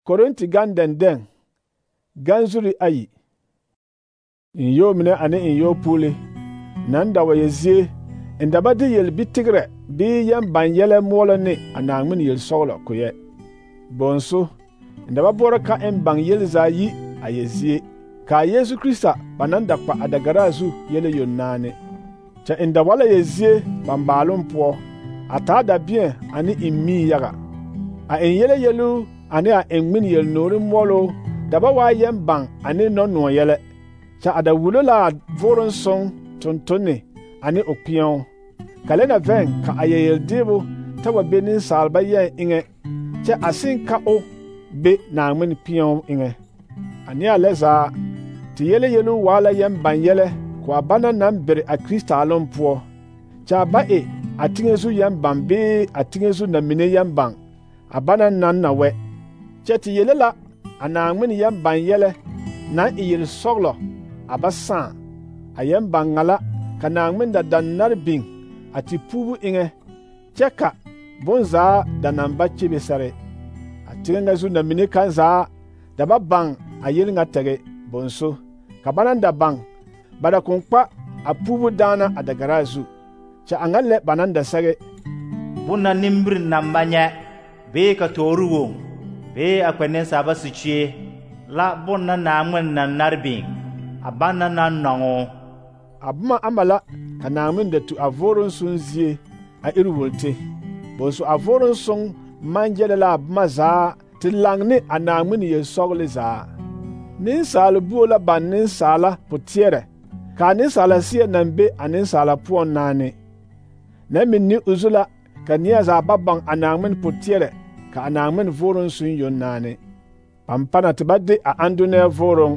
Korinti gan dɛndɛŋ gan zuri ayi. In yo mine ane in yo puuli nan da wa ya zie in da ba de yel bitigre bi yan ban yɛlɛ moɔlɔ ne a Naŋmen yel sɔglɔ koyɛ. Bonso in da ba bɔrɔ ka in ban yel zaa yi a ya zie ka Yesu Krista ba nan da kpa a dagara zu yɛlɛ yonnaane. Kyɛ in da wala ya zie ban baalum poɔ a taa da biɛ ane in mii yaga. A in yɛlɛ yelu ane a in ŋmen yel noore moɔlo da ba waa yɛn ban ane nɔ yɛlɛ. Kyɛ a da wulo la a voron sõŋ tontonne ane o kpeɛo. Kale na vɛŋ ka a yɛl deebo ta wa be ninsaalba yɛn eŋɛ kyɛ a sen ka o be Naŋmen kpeɛo eŋɛ. Ane a lɛ zaa te yɛlɛ yelu waa la yɛn ban yɛlɛ ko a bana naŋ bere a Kristaalom poɔ. Kyɛ a ba e a teŋɛ zu yɛn ban bee a teŋɛ zu na mine yɛn ban a bana naŋ na wɛ. Kyɛ te yele la a Naŋmen yɛn ban yɛlɛ naŋ e yel sɔglɔ a ba sãã. A yɛn ban ŋa la ka Naŋmen da nare biŋ a te puubu eŋɛ kyɛ ka bonzaa da naŋ ba kyebe sɛre. A teŋɛ ŋa zu na mine kaŋ zaa da ba baŋ a yel ŋa tɛge bonso. Ka ba naŋ da baŋ ba da kõn kpa a puubu daana a dagara zu. Kyɛ a ŋa lɛ ba naŋ da sɛge: Bonna nimbiri naŋ ba nyɛ bee ka toori woŋ bee a kpɛ nensaaba sikyie la bonna Naŋmen naŋ nare biŋ a banna naŋ nɔŋo. A boma ama la ka Naŋmen da tu a voron sõŋ zie a iri wolte. Bonso a voron sõŋ maŋ gyɛlɛ la a boma zaa te laŋ ne a Naŋmen yel-sɔgle zaa. Nensaal buo la baŋ nensaala poteɛrɛ ka a nensaala seɛ naŋ be a nensaala poɔŋ naane. Nɛ meŋ ne o zu la ka neɛ zaa ba baŋ a Naŋmen poteɛrɛ ka a Naŋmen voron sõŋ yoŋ naane. Pampana te ba de a andonɛɛ voron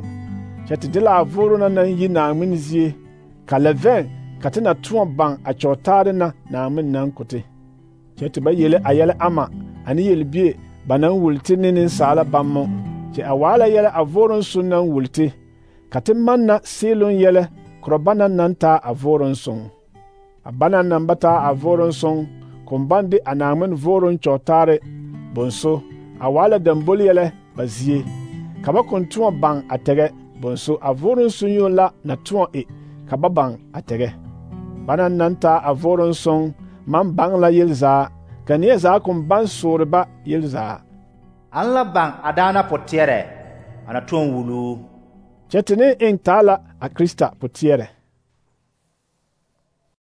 kyɛ te de la a voron na naŋ yi Naŋmen zie ka lɛ vɛŋ ka te na tõɔ baŋ a kyɔɔtaare na Naŋmen naŋ kote. Kyɛ te ba yele a yɛlɛ ama ane yelbie ba naŋ wulte ne nensaala bammo. Kyɛ a waa la yɛlɛ a voron sõŋ naŋ wulte ka te manna seeloŋ yɛlɛ korɔ bana naŋ taa a voron sõŋ. A bana naŋ ba taa a voron sõŋ kõn baŋ de a Naŋmen voron kyɔɔtaare bonso a waa la dambol yɛlɛ ba zie ka ba kõn tõɔ baŋ a tɛgɛ bonso a voron sõŋ yoŋ la na tõɔ e ka ba baŋ a tɛgɛ. Bana naŋ taa a voron sõŋ maŋ baŋ la yel zaa ka neɛ zaa kõn baŋ soore ba yel zaa. An la baŋ a daana poteɛrɛ a na tõɔ wuluu. Kyɛ te ne eŋ taa la a Krista poteɛrɛ.